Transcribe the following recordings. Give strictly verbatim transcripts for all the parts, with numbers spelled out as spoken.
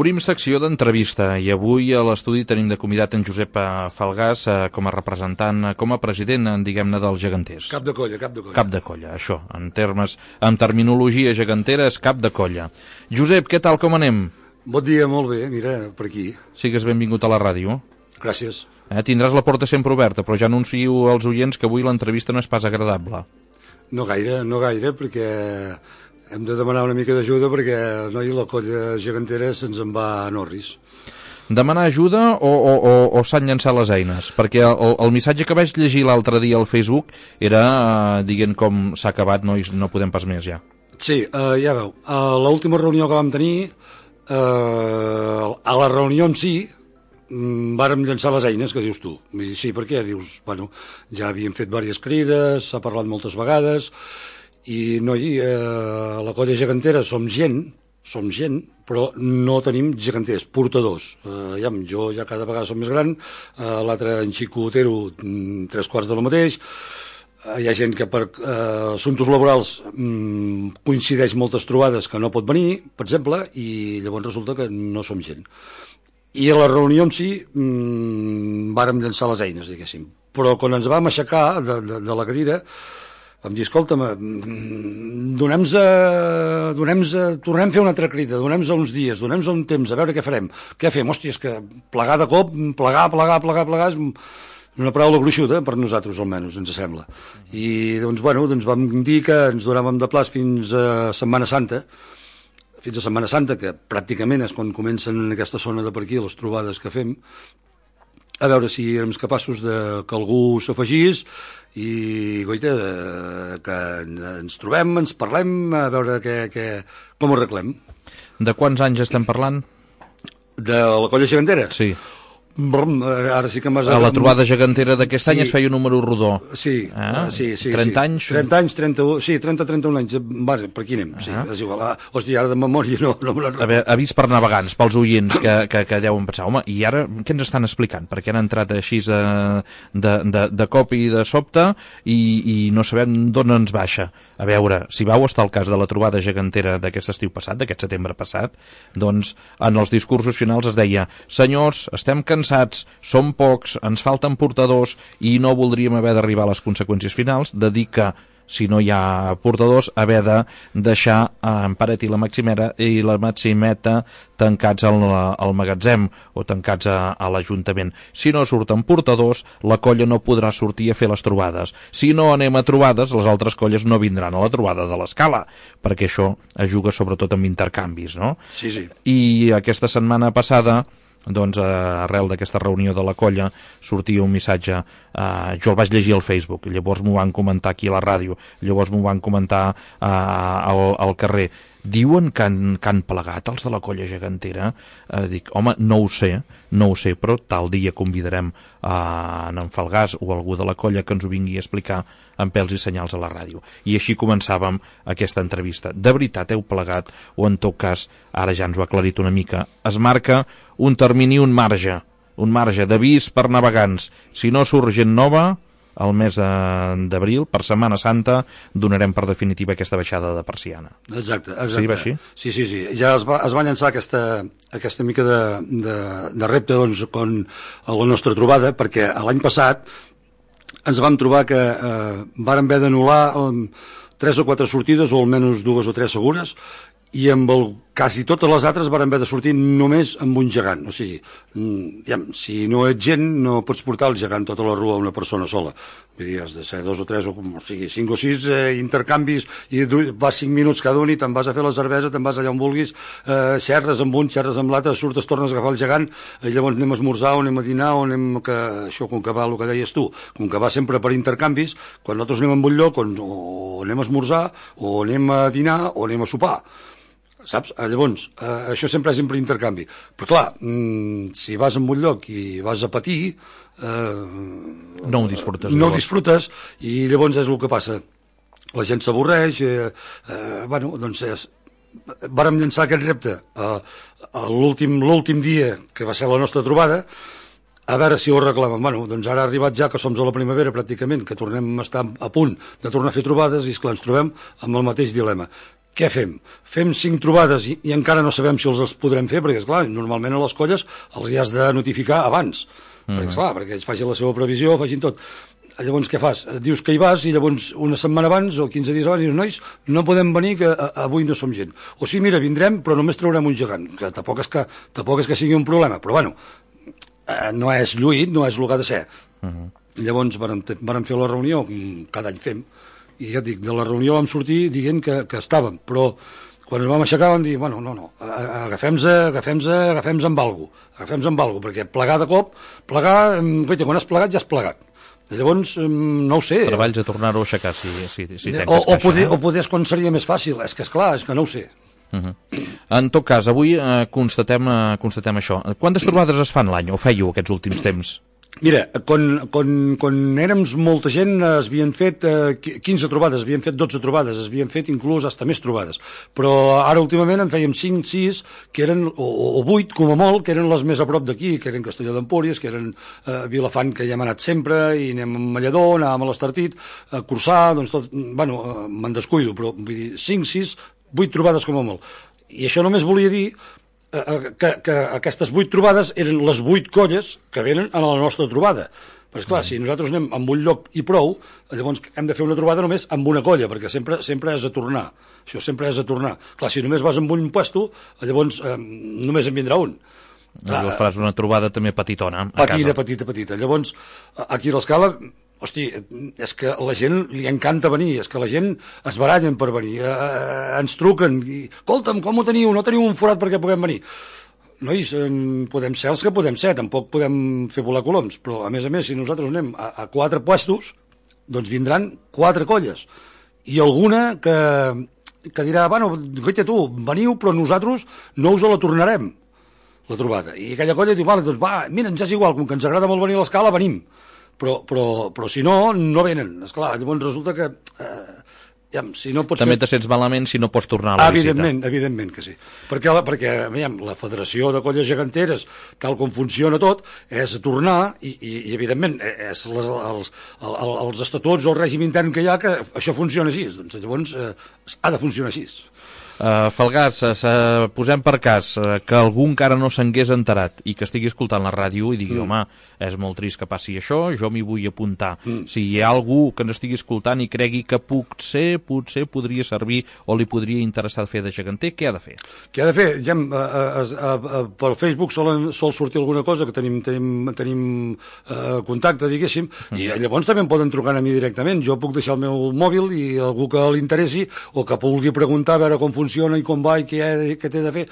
Obrim secció d'entrevista i avui a l'estudi tenim de convidat en Josep Falgàs eh, com a representant, eh, com a president, diguem-ne, dels geganters. Cap de colla, cap de colla. Cap de colla, això, en termes, en terminologia gegantera és cap de colla. Josep, què tal, com anem? Bon dia, molt bé, mira, per aquí. Sigues benvingut a la ràdio. Gràcies. Eh, tindràs la porta sempre oberta, però ja anuncio als oients que avui l'entrevista no és pas agradable. No gaire, no gaire, perquè hem de demanar una mica d'ajuda perquè noi, la colla gegantera se'ns en va a Norris. Demanar ajuda o, o, o, o s'han llançat les eines? Perquè el, el missatge que vaig llegir l'altre dia al Facebook era eh, dient com s'ha acabat, nois, no podem pas més ja. Sí, eh, ja veu, a l'última reunió que vam tenir, eh, a la reunió en si, vàrem llançar les eines, que dius tu. I sí, per què? Dius, bueno, ja havíem fet diverses crides, s'ha parlat moltes vegades, i noi, eh, la colla gegantera som gent, som gent, però no tenim geganters, portadors. Eh, ja, jo ja cada vegada som més gran, eh, l'altre, en Xico Otero, tres quarts de lo mateix. Eh, hi ha gent que per eh, assumptes laborals mm, coincideix moltes trobades que no pot venir, per exemple, i llavors resulta que no som gent. I a la reunió en si mmm, vàrem llançar les eines, diguéssim. Però quan ens vam aixecar de, de, de la cadira, vam dir, escolta'm, donem-nos a, donem-nos a, tornem a fer una altra crida, donem-nos a uns dies, donem-nos a un temps, a veure què farem. Què fem? Hòstia, és que plegar de cop, plegar, plegar, plegar, plegar, és una paraula gruixuda, per nosaltres almenys, ens sembla. I doncs, bueno, doncs vam dir que ens donàvem de plaç fins a Setmana Santa, fins a Setmana Santa, que pràcticament és quan comencen en aquesta zona de per aquí les trobades que fem, a veure si érem capaços de que algú s'afegís i, goita, que ens trobem, ens parlem, a veure que, que, com ho arreglem. De quants anys estem parlant? De la colla gegantera? Sí. Brum, ara sí que m'has... A la trobada gegantera d'aquest sí. any es feia un número rodó. Sí, ah, sí, sí. trenta sí. anys? trenta anys, trenta-u, sí, trenta a trenta-un anys, va, per aquí anem, sí, ah. és igual. Ah, hòstia, ara de memòria no, no me la recordo. Avís per navegants, pels oients que, que, que deuen pensar, home, i ara què ens estan explicant? Perquè han entrat així de, de, de, de cop i de sobte i, i no sabem d'on ens baixa. A veure, si vau estar al cas de la trobada gegantera d'aquest estiu passat, d'aquest setembre passat, doncs en els discursos finals es deia, senyors, estem cansats, som pocs, ens falten portadors i no voldríem haver d'arribar a les conseqüències finals de dir que si no hi ha portadors, haver de deixar en Paret i la Maximera i la Maximeta tancats al, al magatzem o tancats a, a l'Ajuntament. Si no surten portadors, la colla no podrà sortir a fer les trobades. Si no anem a trobades, les altres colles no vindran a la trobada de l'Escala, perquè això es juga sobretot amb intercanvis, no? Sí, sí. I aquesta setmana passada, doncs arrel d'aquesta reunió de la colla sortia un missatge, eh, jo el vaig llegir al Facebook, llavors m'ho van comentar aquí a la ràdio, llavors m'ho van comentar eh, al, al carrer. Diuen que han, que han plegat els de la colla gegantera. Eh, dic, home, no ho sé, no ho sé, però tal dia convidarem a en Falgàs o algú de la colla que ens ho vingui a explicar amb pèls i senyals a la ràdio. I així començàvem aquesta entrevista. De veritat heu plegat o en tot cas, ara ja ens ho ha aclarit una mica, es marca un termini, un marge, un marge d'avís per navegants. Si no surt gent nova, el mes d'abril, per Setmana Santa, donarem per definitiva aquesta baixada de persiana. Exacte, exacte. Sí, va així? Sí, sí, sí. Ja es va, es va llançar aquesta, aquesta mica de, de, de repte doncs, con, a la nostra trobada, perquè l'any passat ens vam trobar que eh, vàrem haver d'anul·lar eh, tres o quatre sortides, o almenys dues o tres segures, i amb el, quasi totes les altres varen haver de sortir només amb un gegant. O sigui, ja, si no ets gent, no pots portar el gegant tota la rua a una persona sola. Vull dir, has de ser dos o tres, o, o sigui, cinc o sis eh, intercanvis, i vas cinc minuts cada un i te'n vas a fer la cervesa, te'n vas allà on vulguis, eh, xerres amb un, xerres amb l'altre, surtes, tornes a agafar el gegant, i llavors anem a esmorzar, o anem a dinar, o anem que... Això, com que va, el que deies tu, com que va sempre per intercanvis, quan nosaltres anem a un lloc, on, o anem a esmorzar, o anem a dinar, o anem a sopar. Saps? Llavors, eh, això sempre és sempre intercanvi. Però clar, mm, si vas a un lloc i vas a patir, eh, no ho disfrutes. No ho disfrutes, i llavors és el que passa. La gent s'avorreix, eh, eh, bueno, doncs és, vàrem llançar aquest repte a, a l'últim l'últim dia, que va ser la nostra trobada, a veure si ho reclamen. Bueno, doncs ara ha arribat ja que som a la primavera pràcticament, que tornem a estar a punt de tornar a fer trobades, i esclar, ens trobem amb el mateix dilema. què fem? Fem cinc trobades i, i encara no sabem si els, els podrem fer, perquè, esclar, normalment a les colles els hi has de notificar abans, mm. perquè, esclar, perquè ells facin la seva previsió, facin tot. Llavors, què fas? Dius que hi vas i llavors una setmana abans o quinze dies abans dius, nois, no podem venir que a, avui no som gent. O sí, mira, vindrem, però només traurem un gegant, que tampoc és que, tampoc és que sigui un problema, però bueno, eh, no és lluït, no és el que ha de ser. Uh -huh. Llavors, vàrem, vàrem fer la reunió, cada any fem, i ja et dic, de la reunió vam sortir dient que, que estàvem, però quan ens vam aixecar vam dir, bueno, no, no, agafem-se agafem-se agafem-se amb alguna cosa, agafem-se amb alguna cosa, perquè plegar de cop, plegar, goita, quan has plegat ja has plegat. Llavors, no ho sé. Treballs a tornar-ho a aixecar, si, si, si tens o, o, caixa, poder, eh? o poder és quan seria més fàcil, és que esclar, és que no ho sé. Uh -huh. En tot cas, avui eh, constatem, eh, constatem això. Quantes trobades es fan l'any, o fèieu aquests últims temps? Mira, quan, quan, quan érem molta gent es havien fet eh, quinze trobades, es havien fet dotze trobades, es havien fet inclús hasta més trobades, però ara últimament en fèiem cinc, sis, que eren, o, o vuit com a molt, que eren les més a prop d'aquí, que eren Castelló d'Empúries, que eren eh, Vilafant, que ja hem anat sempre, i anem a Malladó, anàvem a l'Estartit, a Corçà, doncs tot, bueno, eh, me'n descuido, però vull dir, cinc, sis, vuit trobades com a molt. I això només volia dir Que, que aquestes vuit trobades eren les vuit colles que venen a la nostra trobada. Però esclar, si nosaltres anem amb un lloc i prou, llavors hem de fer una trobada només amb una colla, perquè sempre sempre és a tornar. Això sempre és a tornar. Clar, si només vas amb un puesto, llavors eh, només en vindrà un. Llavors faràs una trobada també petitona a petita, casa. Petita, petita. Llavors, aquí a l'Escala, hosti, és que a la gent li encanta venir, és que la gent es barallen per venir, eh, ens truquen, i, escolta'm, com ho teniu? No teniu un forat perquè puguem venir? Nois, eh, podem ser els que podem ser, tampoc podem fer volar coloms, però a més a més, si nosaltres anem a, a quatre puestos, doncs vindran quatre colles, i alguna que, que dirà, bueno, goita tu, veniu, però nosaltres no us la tornarem, la trobada. I aquella colla diu, vale, doncs va, mira, ens és igual, com que ens agrada molt venir a l'Escala, venim. Però, però, però si no, no venen. Esclar, llavors resulta que eh, ja, si no pots també fer... te sents malament si no pots tornar a la evidentment, visita. Evidentment que sí. Perquè, la, perquè veiem, la Federació de Colles Geganteres, tal com funciona tot, és tornar, i, i, i evidentment, és les, els, els, els estatuts o el règim intern que hi ha, que això funciona així. Doncs llavors eh, ha de funcionar així. Uh, Falgàs, uh, posem per cas uh, que algú encara no s'hagués enterat i que estigui escoltant la ràdio i digui, mm. home, és molt trist que passi això, jo m'hi vull apuntar. Mm. Si hi ha algú que ens estigui escoltant i cregui que potser, potser podria servir o li podria interessar fer de geganter, què ha de fer? Què ha de fer? Ja, a, a, a, a, per Facebook sol, sol sortir alguna cosa, que tenim, tenim, tenim uh, contacte, diguéssim, mm. i llavors també em poden trucar a mi directament. Jo puc deixar el meu mòbil i algú que li interessi o que vulgui preguntar a veure com funciona funciona i com va i què, què té de fer,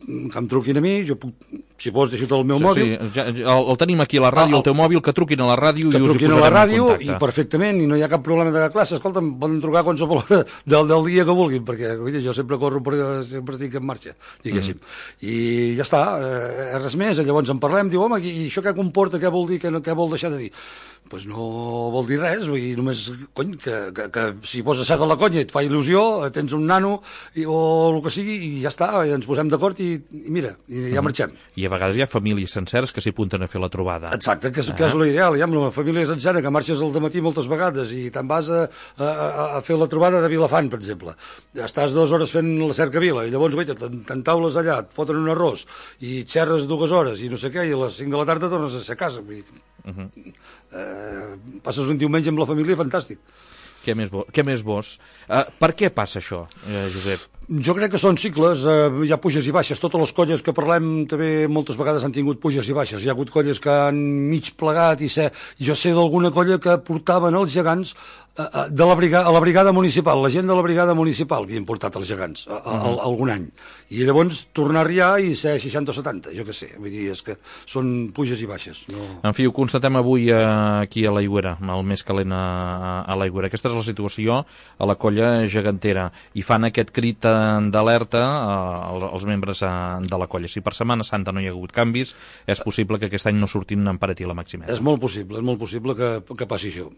que em truquin a mi, jo puc, si vols deixo-te el meu sí, mòbil. Sí, ja, el, el tenim aquí a la ràdio, ah, el teu mòbil, que truquin a la ràdio i us hi posarem en contacte. Que truquin a la ràdio i perfectament, i no hi ha cap problema de classe. Escolta, em poden trucar qualsevol hora del, del dia que vulguin, perquè oi, jo sempre corro, sempre estic en marxa, diguéssim. Mm. I ja està, eh, res més, llavors en parlem, diu, home, i això què comporta, què vol dir, què, què vol deixar de dir? Doncs pues no vol dir res, vull dir, només, cony, que, que, que si poses set a la conya et fa il·lusió, tens un nano i, o el que sigui, i ja està, i ens posem d'acord i, i mira, i ja marxem. I a vegades hi ha famílies senceres que s'hi apunten a fer la trobada. Exacte, que és, ah. que és l'ideal, hi ha una família sencera que marxes al dematí moltes vegades i te'n vas a, a, a fer la trobada de Vilafant, per exemple. Estàs dues hores fent la cercavila i llavors, veita, t'entaules allà, et foten un arròs i xerres dues hores i no sé què, i a les cinc de la tarda tornes a ser a casa. Vull dir, uh -huh. eh, passes un diumenge amb la família fantàstic. Què més, bo, què més vos? Uh, per què passa això, eh, Josep? Jo crec que són cicles, eh, hi ha puges i baixes. Totes les colles que parlem també moltes vegades han tingut puges i baixes. Hi ha hagut colles que han mig plegat i sé, jo sé d'alguna colla que portaven els gegants eh, de la brigada, a la brigada municipal. La gent de la brigada municipal havien portat els gegants a, a, a, a, algun any. I llavors tornar a arriar i ser seixanta o setanta, jo què sé. Vull dir, és que són puges i baixes. No... En fi, ho constatem avui eh, aquí a l'Aigüera, el més calent a, a l'Aigüera. Aquesta és la situació a la colla gegantera i fan aquest crit d'alerta eh, als membres eh, de la colla. Si per Setmana Santa no hi ha hagut canvis, és possible que aquest any no surtin en paret i la màxima. És molt possible, és molt possible que, que passi això.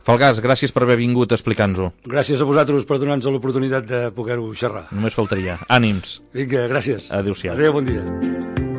Falgàs, gràcies per haver vingut a explicar-nos-ho. Gràcies a vosaltres per donar-nos l'oportunitat de poder-ho xerrar. Només faltaria. Ànims. Vinga, gràcies. Adéu-siau. Adéu, bon dia.